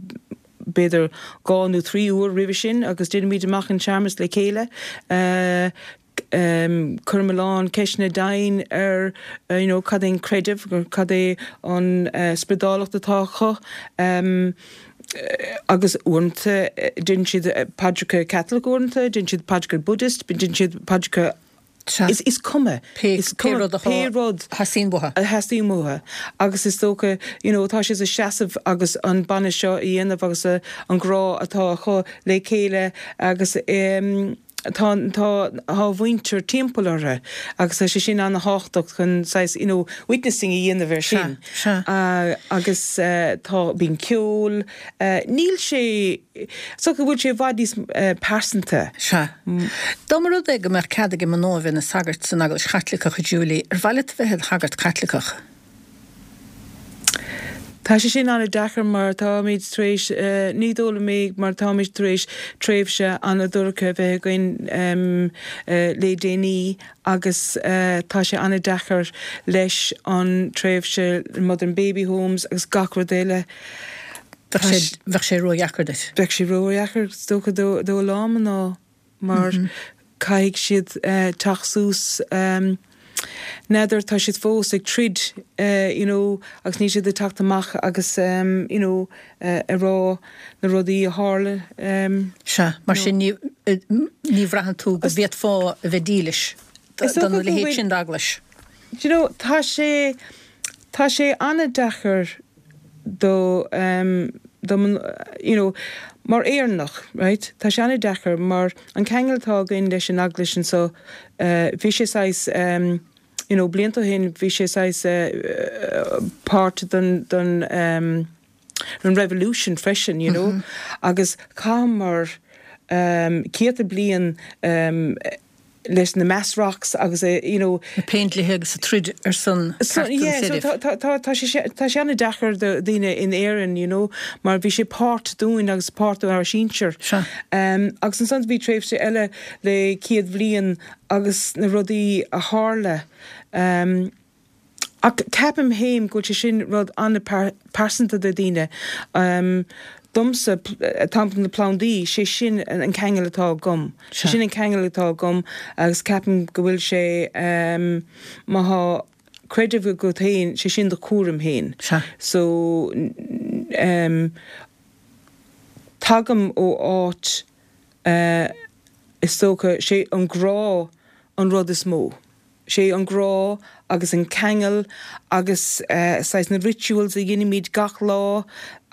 b'fhéidir dhá nó trí uair roimhe sin agus déanaimid amach an searmanas le chéile. Uh, um, cuirim a lán ceisteanna domhain ar uh, you know, cad é an creideamh, cad é an uh, spioradálacht atá acu. Um, agus uaireanta déanann siad paidreacha Catholic uaireanta, déanann siad paidreacha Buddhist, déanann siad paidreacha Is is cuma is pé rud pé rud theastaíonn uathu. A theastaíonn uathu agus is dócha you know, tá sé a seasamh agus an bainis seo a dhéanamh agus uh, an grá atá acu le chéile agus um, tá tá tá muintir timpeall orthu agus tá sé sin an-tábhachtach chun saghas you know, witnessing a dhéanamh ar sin. Uh, agus uh, tá bíonn ceol uh, níl sé so go bhfuil sé i bhfad níos uh, pearsanta. Sea. Dá mba rud é go mbeadh cead ag mná bheith ina sagart san Eaglais Chaitliceach a Julie, ar mhaith leat bheith i do shagart Caitliceach. Tá sé sin an-deacair mar táimid tar éis uh, ní dóla mé mar táimid tar éis tréimhse an-dorcha bheith againn um, uh, le déanaí agus uh, tá sé an-deacair leis an tréimhse Mother and Baby Homes agus gach rud eile. Bheadh sé ródheacair duit. Bheadh sé ródheacair dócha do do lá ná mar mm -hmm. caithfidh siad uh, teacht suas um, N'fheadar tá siad fós ag troid uh, you know, agus ní siad ag teacht amach agus um, you know, uh, a rá na rudaí a tharla. Um, Sea, mar sin ní ní bhraitheann tú go bhféadfá a bheith dílis don leithéid sin d'eaglais. You know, tá sé tá sé an-deacair do um, do you know, mar Éireannach, right? Tá sé an-deacair mar an ceangal atá againn leis an eaglais so uh, bhí sé saghas um, you know, blianta ó shin bhí sé saghas uh, part den den um, an revolution freisin, you know, mm -hmm. agus mar um, céadta bliain um, leis na mass rocks agus uh, you know na péindlíthe agus a troid ar son so, yeah, so tá tá sé an-deacair do daoine in Éirinn you know mar bhí sé páirt dúinn agus páirt ár sinsir um, agus ansan bhí tréimhse eile le céad bliain agus na rudaí a tharla um, ach ceapaim féin go sé sin rud an-pearsanta do daoine um, domsa tampon na plandaí sé sin an ceangal atá agam. Sé sin an ceangal atá agam agus ceapaim go bhfuil sé um, má tá creideamh agat féin sé sin do chúram féin. So um, tagaim ó áit uh, is dócha sé an grá an rud is mó. sé an grá agus an ceangal agus uh, saghas na rituals a dhéanaimid gach lá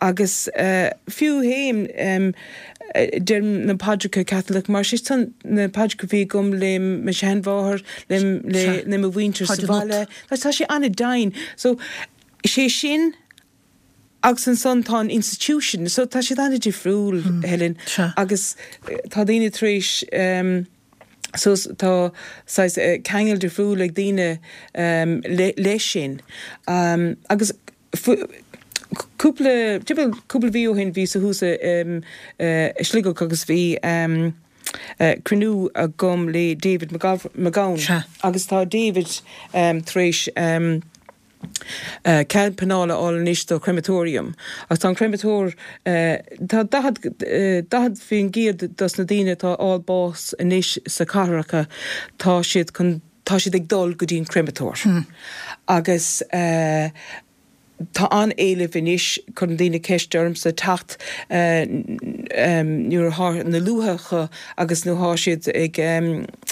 agus uh, fiú féin um, deirim na paidreacha Catholic mar sé san na paidreacha bhí agam le mo sheanmháthair le le le mo mhuintir sa bhaile tá sé an-dian so sé sin agus ansan tá an institution so tá sé an-difriúil mm. Helen agus tá daoine tar éis um, so tá saghas uh, ceangal difriúil ag daoine um, le, le sin um, agus cúpla cúpla mhí ó shin bhí sa thuas um, uh, Sligeach agus bhí um, uh, cruinniú agam le David McGowan agus tá David um, tar éis um, Uh, cead pleanála a fháil anois do crematorium. Agus tá an crematóir uh, tá daichead uh, daichead faoin gcéad dos na daoine atá ag fáil bás anois sa cathracha tá siad chun tá siad ag dul go dtí an crematóir. Hmm. Agus uh, tá an-éileamh anois chun daoine ceist ormsa teacht uh, um, nuair atá na luaithreacha agus nuair atá siad ag um,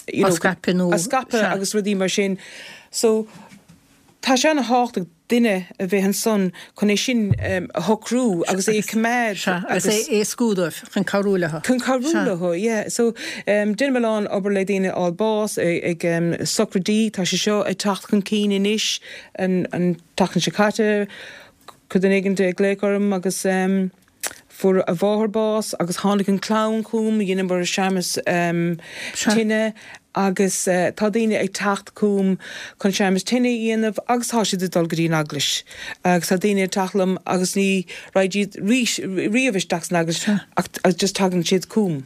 you know, scaipeadh scaipeadh agus rudaí mar sin. So tá sé an-tábhachtach duine a bheith ansan chun é sin um, a shocrú agus é coimeád agus é éascú dóibh chun cabhrú leo. Chun cabhrú leo, yeah. So um, déanaim a lán obair le daoine ag fáil bás ag, ag um, sochraidí tá sé seo ag teacht chun cinn anois an, an tseachtain seo caite chuir duine éigin glaoch orm agus um, fuair a mháthair bás agus tháinig an chlann chugam dheineamar searmanas um, tine agus uh, tá daoine ag teacht chugam chun searmanas tine a dhéanamh agus tá siad ag dul go dtí an eaglais. Agus tá daoine ag teacht liom agus ní raghaidh siad riamh isteach san eaglais ach just tagann siad chugam.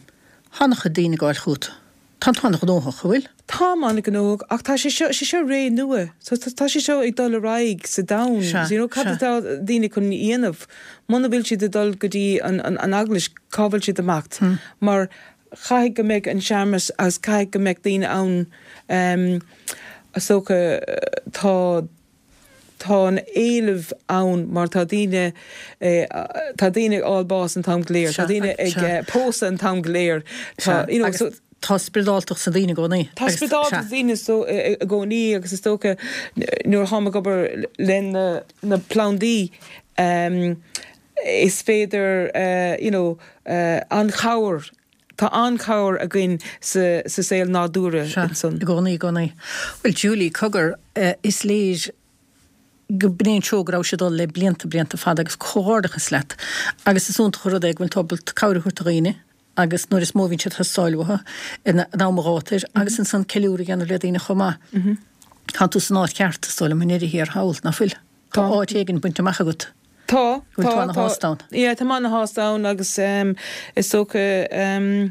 Tá an-chuid daoine ag gabháil chugat. Tá tú an-ghnóthach, an bhfuil? Táim an-ghnóthach ach tá sé seo sé seo ré nua, so tá sé seo ag dul ar aghaidh sa domhan. So, you know, cad atá daoine chun dhéanamh muna bhfuil siad ag dul go dtí an, an, an eaglais cá bhfuil siad ag imeacht. Hmm. Mar caithfidh go mbeidh an searmanas agus caithfidh go mbeidh daoine ann um, is dócha tá tá an éileamh ann mar tá daoine eh, tá daoine ag fáil bás an t-am go léir, tá daoine ag eh, pósadh an t-am go léir. Tá, you know, so, tá spioradáltacht sna daoine i gcónaí. Tá spioradáltacht sna daoine so i gcónaí agus is dócha nuair atáim ag obair le na plandaí um, is féidir uh, you know, uh, an chabhair Tá an-chabhair againn sa, sa saol nádúrtha ansan. I gcónaí i gcónaí. Well Julie cogar uh, is léir go b'in an treo go raibh sé ag dul le blianta blianta fada agus comhghairdeachas leat agus is iontach an rud é go bhfuil tú ábalta cabhair a thabhairt do dhaoine agus nuair is mó a bhíonn siad ag teastáil uathu in am gátair agus ansan ceiliúradh a dhéanamh le daoine chomh maith. Tá tú san áit cheart is dóigh liom i ndeireadh thiar thall, nach bhfuil? Tá áit éigin bainte amach agat. Tá, Go bhfuil tú tá, ana-shásta ann. Yeah, tá mé ana-shásta ann agus um, is dócha um,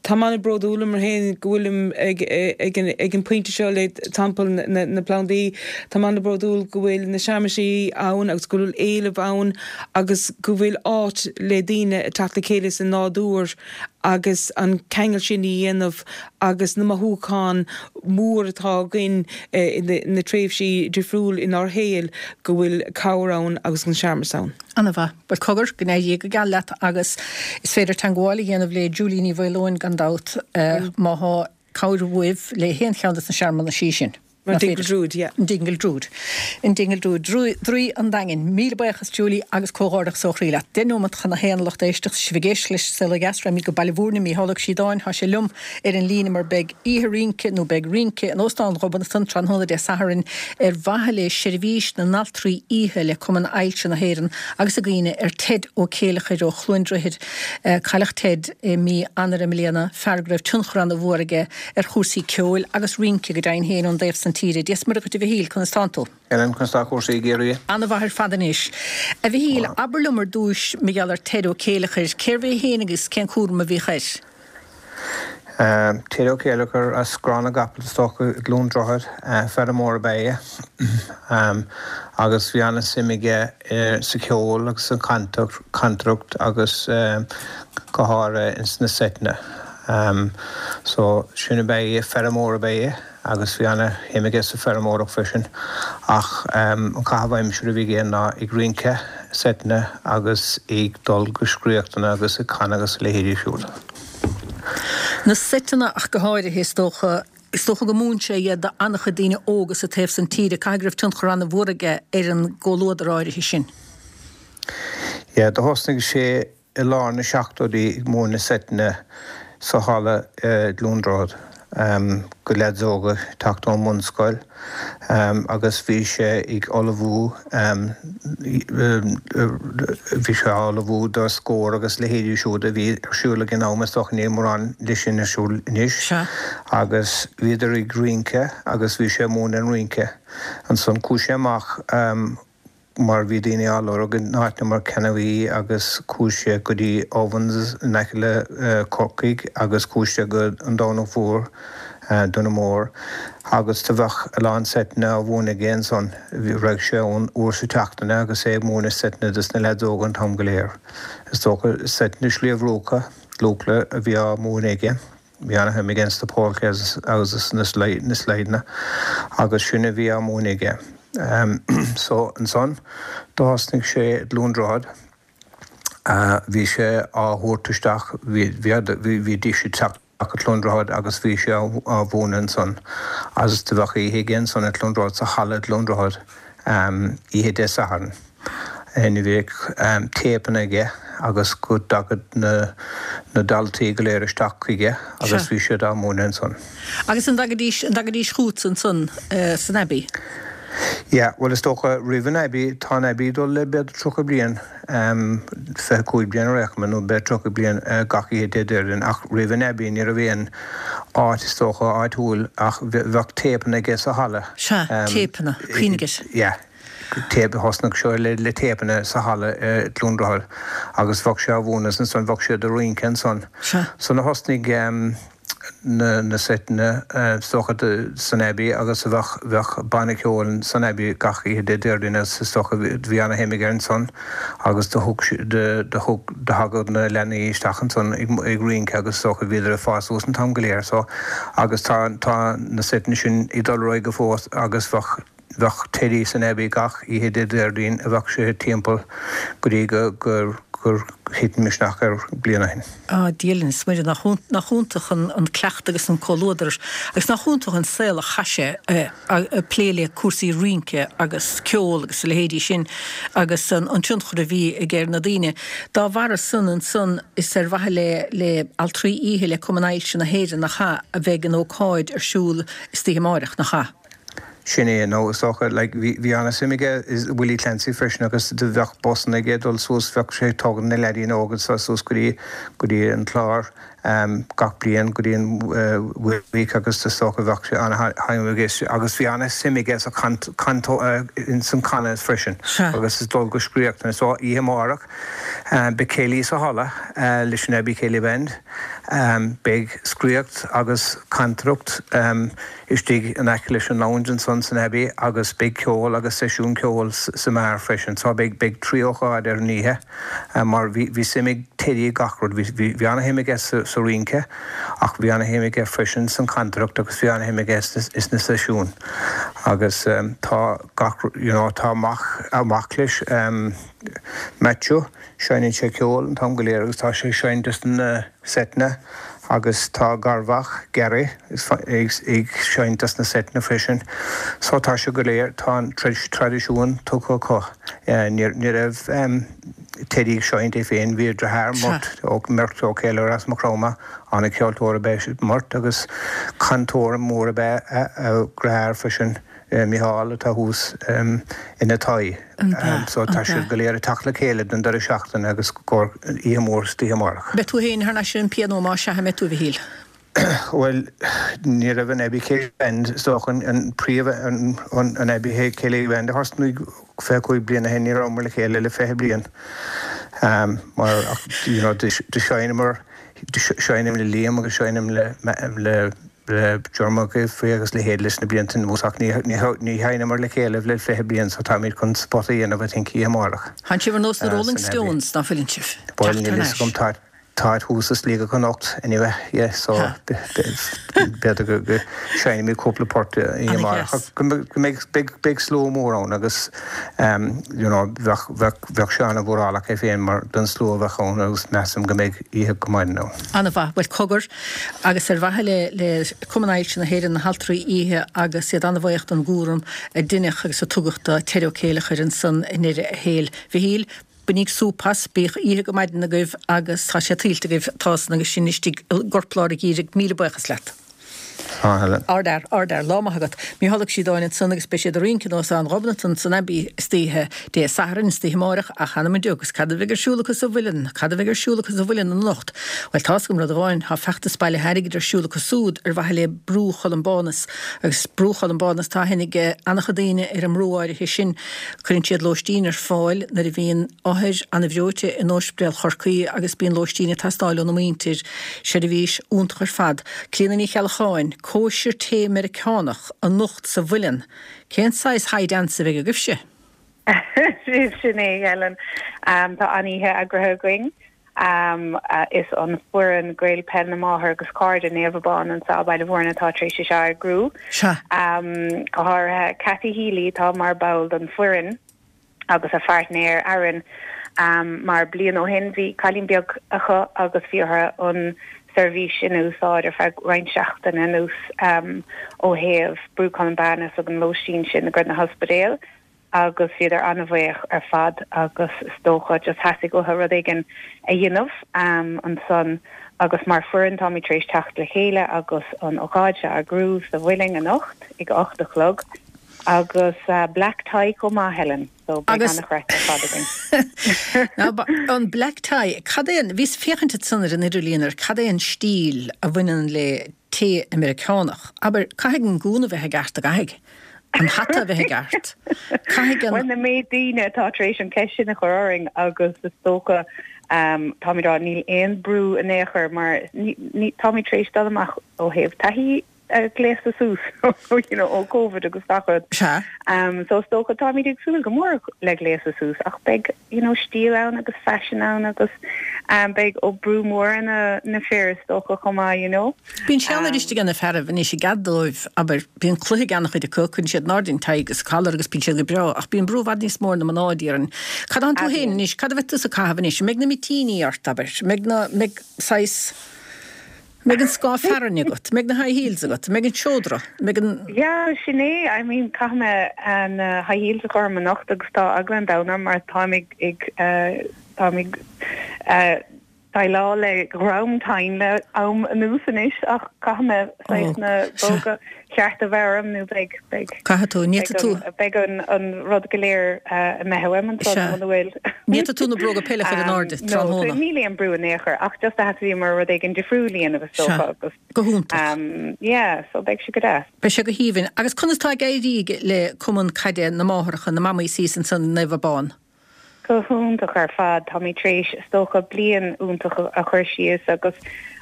Tá mé an-bhródúil mar féin go bhfuilim ag, ag, ag, ag an pointe seo le Teampall na, na, na bPlandaí, Tá mé an-bhródúil go bhfuil na searmanaisí ann agus go bhfuil éileamh ann agus go bhfuil áit le daoine teacht le chéile sa nádúr agus an ceangal sin a dhéanamh agus na mothúcháin mór atá againn eh, na tréimhsí difriúil inár saol go bhfuil cabhair ann agus an searmanas ann. Ana-mhaith, Well cogar go n-éirí go geal leat agus is féidir teagmháil a dhéanamh le Julie Ní Mhaoileoin gan dabht uh, má tá cabhair uaibh le haon cheann de na searmanaisí sin. An Dingle Druid, yeah. An Dingle Druid. An Dingle Druid, Draoi an Daingin, míle buíochas Julie agus comhghairdeachas ó chroí leat. Deich nóiméad chun a haon lucht éisteachta sibh ag éisteacht leis Saol Ó Dheas raghaimid go Baile Bhúirne Mícheál Ó Síodáin tá sé liom ar an líne mar beidh oíche rince nó beidh rince in Óstán Ghobnatan tráthnóna Dé Sathairn ar mhaithe le seirbhís na n-altraí oíche le Cumann Ailse na hÉireann agus i gcuimhne ar Ted Ó Céileachair ó Chluain Droichid cailleadh Ted i mí Eanáir i mbliana fear go raibh tionchar an-mhór aige ar chúrsaí ceoil agus rince go deimhin féin ón dtaobh san tíre. Dia is Muire dhuit a Mhichíl conas tánn tú. Ellen conas tá cúrsaí i gCiarraí. Ana-mhaith ar fad anois. A Mhichíl abair liom ar dtús mar gheall ar Ted Ó Céileachair, cérbh é féin agus cén cúram a bhíodh air. Um, Ted Ó Céileachair as Grán na gCapall is dócha i gCluain Droichead feirmeoir ab ea é. um, agus bhí an-suim aige sa cheol agus an cantaireacht agus um, go háirithe ins na seiteanna. Um, so sin ab ea feirmeoir ab ea agus bhí an-shuim aige sa feirmeoireacht freisin ach um, an caitheamh aimsire a bhí aige ná ag rince seiteanna agus ag dul go scréachtanna agus ag canadh agus leithéidí siúd. Na seiteanna ach go háirithe is dócha is dócha go múin sé iad d'an-chuid daoine óga sa taobh san tíre caithfidh go raibh tionchar an-mhór aige ar an gcomhluadar áirithe sin. Ja, do thosnaigh sé i lár na seachtóidí ag múineadh seiteanna sa halla i gCluain Droichead. Um, go leaids óga teacht ón mbunscoil um, agus bhí sé ag ullmhú um, bhí sé ullmhú do Scór agus leithéidí siúd a bhí ar siúl ag an am is dócha níl mórán de sin ar siúl anois agus bhíodar ag rince agus bhí sé múineadh an rince. Ansan chuaigh sé amach um, mar bhí daoine á lorg in áiteanna mar Canovee agus chuaigh sé go dtí Ovens in aice le Corcaigh agus chuaigh sé go an Domhnach Mhór Dún Mór agus do bheadh a lán seiteanna á mhúineadh aige ansan raibh sé ann uair sa tseachtain agus é ag múineadh seiteanna dos na leaids óga an t-am go léir. Is dócha seiteanna Sliabh Luachra Luachra a bhí á múineadh aige. Bhí an-shuim aige sna polkas agus na slideanna agus sin a bhí á múineadh aige. Um, so ansan do thosnaigh sé i gCluain Droichead uh, bhí sé á thabhairt isteach bhí sé teacht go Cluain Droichead agus bhí sé á mhúineadh ansan agus do bheadh oíche aige ansan i gCluain Droichead sa halla i gCluain Droichead um, oíche Dé Sathairn. Ní bheadh um, téipeanna aige agus go dtagadh na, na daltaí go léir isteach chuige agus bhí siad á múineadh ansan. Agus an dtagaidís an dtagaidís chugat ansan uh, san Abbey? Ja, well is dócha roimh an Abbey tá an Abbey dul le b'fhéidir tríocha bliain um, fiche cúig bliain ar éigin nó b'fhéidir tríocha bliain uh, gach oíche Dé Déardaoin ach roimh an Abbey ní raibh aon áit is dócha áitiúil ach bheadh téipeanna aige sa halla. Sea, téipeanna, cuimhnigh. Yeah. Téip thosnaigh seo le, le téipeanna sa halla i gCluain Droichead agus bheadh sé á mhúineadh ansan bheadh sé ag rince ansan. So na thosnaigh um, na, na seiteanna uh, is dócha san Abbey agus a bheadh bheadh banna ceoil san Abbey gach oíche Dé Déardaoin is is dócha bhí an-shuim aige ansan agus do thug do do thug do thagadh na leanaí isteach ansan ag, ag rince agus is dócha bhíodar ag fás suas an t-am go léir so agus tá tá na seiteanna sin ag dul ar aghaidh go fós agus bheadh bheadh Teddy san Abbey gach oíche Dé Déardaoin a bheadh sé timpeall go dtí go gur gur thit an misneach air bliain ó shin. Á, Dia linn is Muire, nach iontach an cleachtadh agus an comhluadar agus nach iontach an saol a chaith sé ag plé le cúrsaí rince agus ceol agus a leithéidí sin agus an tionchar a bhí aige ar na daoine. Dá bharra san ansan is ar mhaithe le le Altraí Oíche le Cumann Ailse na hÉireann nach ea a bheidh an ócáid ar siúl istoíche amáireach, nach ea? Sin é, nó is dócha, like, bhí, bhí ana-suim aige i Willie Clancy freisin agus do bheadh busanna aige ag dul suas, bheadh sé ag tógaint na leaidíonna óga so suas go dtí, go dtí an Clár gach bliain, go dtí an Week agus is dócha bheadh sé ana-shuim aige agus bhí ana-suim aige sa chant, cant, ins an canadh freisin agus is dul go scríochtanna. So oíche amárach beidh céilí sa halla leis an Abbey Céilí Band, beidh scríocht agus cantaireacht, istigh in aice leis an lounge ansan san Abbey agus beidh ceol agus seisiún ceoil sa mbeár freisin. So beidh, beidh trí ócáid ar an oíche mar bhí, bhí suim ag Teddy i gach rud. Bhí, bhí, bhí ana-shuim aige sa, sa rince ach bhí ana-shuim aige freisin san chantaireacht agus bhí ana-shuim aige sna, sna seisiúin. Agus tá gach, you know, tá mac, mac leis, Matthew, seinneann sé ceol an t-am go léir agus tá sé ag seinnt sna seiteanna agus tá garmhac, Gary, ag seinnt sna seiteanna freisin. So tá sé go léir, tá an traidisiún tugtha acu. Ní raibh Teddy ag seinnt é féin, bhí a dheartháir Murt, Murt Ó Céilleachair as Maigh Chromtha, an-cheoltóir ab ea Murt agus cantóir mór ab ea a dheartháir freisin. Micheál atá thuas ina Toigh. So tá siad go léir ag teacht le chéile don deireadh seachtaine agus go oíche mhór istoíche amárach. Beidh tú féin thar n-ais ar an pianó más ea, an mbeidh tú, a Mhichíl? Bhuel, ní raibh an Abbey Céilí Band, is dócha, an príomh, an Abbey Céilí Band a thosnaigh fiche cúig bliana ó shin, ní rabhamar le chéile le fiche bliain mar, you know, do sheinneamar, seinnim le Liam agus seinnim le, le, le Diarmuid Giffey agus leithéid leis na blianta anuas ach ní sheinneamar le chéile le fiche bliain so táimid chun spota a dhéanamh I think oíche amárach. Tánn sibh ar nós na Rolling Stones, ná fuileann sibh? Bhuel níl fhios agam tá táid thuas i Sligeach anocht anyway yeah so b'fhéidir go go seinnfimid cúpla port oíche amárach ach go mbeidh beidh beidh slua mór ann agus you know bheadh bheadh bheadh sé an-mhórálach é féin mar don slua a bheadh ann agus measaim go mbeidh oíche go maidin ann. An-mhaith. Bhuel cogar, agus ar mhaithe le le Cumann Ailse na hÉireann, na hAltraí Oíche agus iad an-bhuíoch don gcúram a deineadh agus a tugadh do Terry Ó Céilleachair ansan i ndeireadh a shaoil. Mhichíl, bainíg súp as, bíodh oíche go maidin agaibh agus tá sé tuillte agaibh, tá san agus sinn istigh i gcorplár an gheimhridh, míle buíochas leat. Ardfhear, ardfhear, lá maith agat. Mícheál Ó Síodáin ansan agus beidh siad ag rince in Óstán Ghobnatan san Abbey istoíche Dé Sathairn, istoíche amáireach, ach th'anam 'on deoch, agus cad a bheidh ar siúl acu sa Mhuileann? Cad a bheidh ar siúl acu sa Mhuileann anocht? Bhuel, tá's agam rud amháin, tá feachtas bailithe airgid ar siúl acu súd ar mhaithe le Brú Cholumbanus. Agus Brú Cholumbanus, tá aithne ag an-chuid daoine ar an mbrú áirithe sin. Cuireann siad lóistín ar fáil nuair a bhíonn othair an-bhreoite in Ospidéal Chorcaí agus bíonn lóistín ag teastáil óna muintir. Seirbhís iontach ar fad. Clíona Ní Cheallacháin, Cóisir tae Meiriceánach anocht sa Mhuileann. Cén saghas high dance a bheidh agaibhse? Sin é, Helen. Tá an-oíche eagraithe againn. Is an foireann Gael Peil na Máthar agus Cairde Naomh Abán anseo i Baile Mhúirne atá tar éis é seo a eagrú. Go háirithe Cathy Healy atá mar ball den foireann. agus a phairtnéir Aaron mar bliain ó shin bhí cailín beag acu agus bhí orthu an seirbhís sin a úsáid ar feadh roinnt seachtaine anuas ó thaobh Brú Columbanus agus an lóistín sin ag na hospidéil agus bhíodar an-bhuíoch ar fad agus is dócha just theastaigh uathu rud éigin a dhéanamh ansan agus mar foireann táimid tar éis teacht le chéile agus an ócáid seo a eagrú sa Mhuileann anocht ag a ocht a chlog. Agus black tie chomh maith, Helen, so beidh an-chraic ar fad againn. Now, an black tie, cad é an, bhíos ag féachaint ansan ar an idirlíon ar cad é an stíl a bhaineann le tae Meiriceánach. Abair, caithfidh an gúna bheith i gceart, an gcaithfidh? An hata a bheith i gceart. Caithfidh an. Bhuel, na méid daoine atá tar éis an cheist sin a chur orainn agus is dócha, táimid á rá, níl aon brú in aon chor mar táimid tar éis dul amach ó thaobh taithí, gléasta suas you know ó Covid agus gach rud. Sea. Um, so is dócha táimid ag súil go mór le gléasadh suas ach beidh you know stíl ann agus fashion ann agus um, beidh ó brú mór ar na na fir is dócha chomh maith you know. Bíonn sé an-fhuirist ag na fearaibh anois i gcead dóibh abair bíonn cluiche ag an-chuid acu cuireann siad in airde an tie agus collar agus bíonn siad go breá ach bíonn brú i bhfad níos mó ar na mná déarfainn. Cad tá tú féin anois cad a bheidh tusa ag caitheamh anois mbeidh na mitíní ort abair mbeidh na mbeidh saghas mbeidh an scáth fearainn agat, mbeidh na high heels agat, mbeidh an seodra, mbeidh an. Yeah, sin é, I mean caithfidh mé na high heels a chur orm anocht agus tá eagla an domhain orm mar táim ag ag táim ag déileáil le dhrom tinn le am anuas anois ach caithfidh mé saghas na bróga cearta a bheith orm nó beidh beidh Caithfidh tú, ní fhéadfaidh tú. beidh an an rud go léir imithe uaim ansan Sea. muna bhfuil. Ní fhéadfaidh tú na bróga peile a chur in airde No, so tráthnóna. níl aon brú in aon chor ach just theastaíomar rud éigin difriúil a dhéanamh is Sea. dócha agus Go hiontach. um, yeah, so beidh sé go deas. Beidh sé go haoibhinn. Agus conas tá ag éirí le Cumann Caide na Máithreacha, na mamaí thíos ansan i Naomh Abán? Go hiontach ar fad, táimid tar éis is dócha bliain iontach a chur síos agus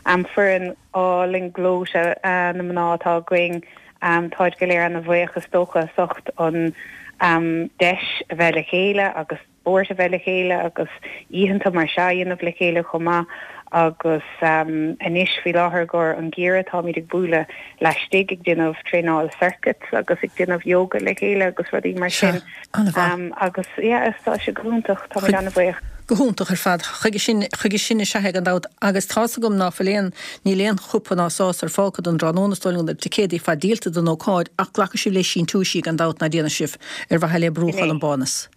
um, foireann álainn gleoite uh, na mná atá againn um, táid go léir ana-bhuíoch is dócha as ucht an um, deis a bheith le chéile agus spórt a bheith le chéile agus oícheanta mar seo a dhéanamh le chéile chomh maith agus um, anois faoi láthair gur an geimhreadh táimid ag bualadh laistigh ag déanamh traenáil circuits agus ag déanamh yoga le chéile agus rudaí mar Sea, sin. an-mhaith. Um, agus yeah, tá sé go hiontach táimid ana-bhuíoch. Go hiontach ar fad chuige sin chuige sin is ea gan dabht agus tá's agam ná fuil aon níl aon chupa ná sásar fágtha don tráthnóna is dóigh liom na ticéidí ar fad díolta don ócáid ach glacfaidh sibh le síntiúisí gan dabht ná déanfaidh sibh ar mhaithe le Brú Sin é. Cholambánas.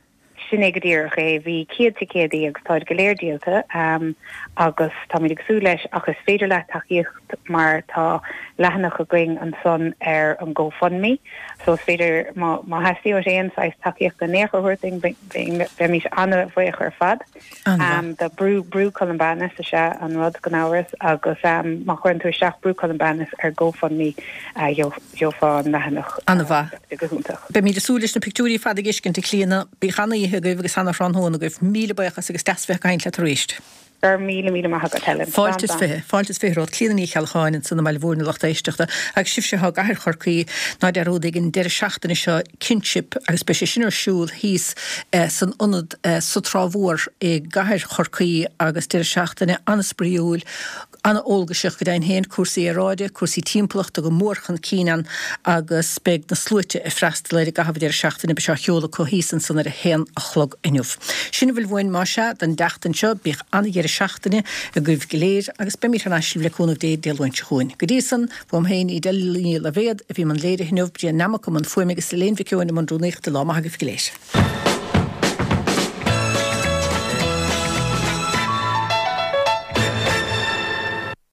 Sin é go díreach é bhí céad ticéadaí agus táid go léir díolta um, agus táimid ag súil leis ach is féidir le tacaíocht mar tá leathanach againn ansan ar an GoFundMe, so is féidir má má theastaíonn aon saghas tacaíochta in aon chor bheimid an-bhuíoch ar fad. An-mhaith. Um, the Brú Brú Columbanus is ea an rud gan amhras agus um, má chuireann tú isteach Brú Columbanus ar GoFundMe uh, gheofá an leathanach An-mhaith. uh, go hiontach. Beimid ag súil leis na pictiúirí fad a fheiscint a Clíona bíodh an-oíche agaibh agus an-thráthnóna agaibh míle buíochas agus deas bheith ag caint leat arís. Gur míle míle maith agat Helen. Fáilte is Slán, slán. fiche, fáilte is fiche romhat Clíona Ní Cheallacháin ansan i mBaile Bhúirne lucht éisteachta agus sibhse atá i gcathair Chorcaí ná dearúdaigí an deireadh seachtaine seo Kinship agus beidh sé sin ar siúl thíos eh, san ionad eh, sa Trá Mhór i gcathair Chorcaí agus deireadh seachtaine an-spraíúil an-eolgaiseach go deimhin féin cúrsaí aeráide, cúrsaí timpeallachta go mór chun cinn ann agus beidh na sluaite ag freastal ar i gcaitheamh deireadh seachtaine beidh sé á sheoladh acu thíos ansan ar a haon a chlog inniu. Sin a bhfuil uainn más ea don tseachtain seo bíodh an-deireadh seachtaine agaibh go léir agus beimid thar n-ais le cúnamh Dé Dé Luain seo chugainn. Go dtí san uaim féin Edel Ní Loibhéad a bhí i mbun léirithe inniu Brian Nammock i mbun fuaime agus Elaine Mhic Eoin i mbun rúnaíochta lá maith agaibh go léir.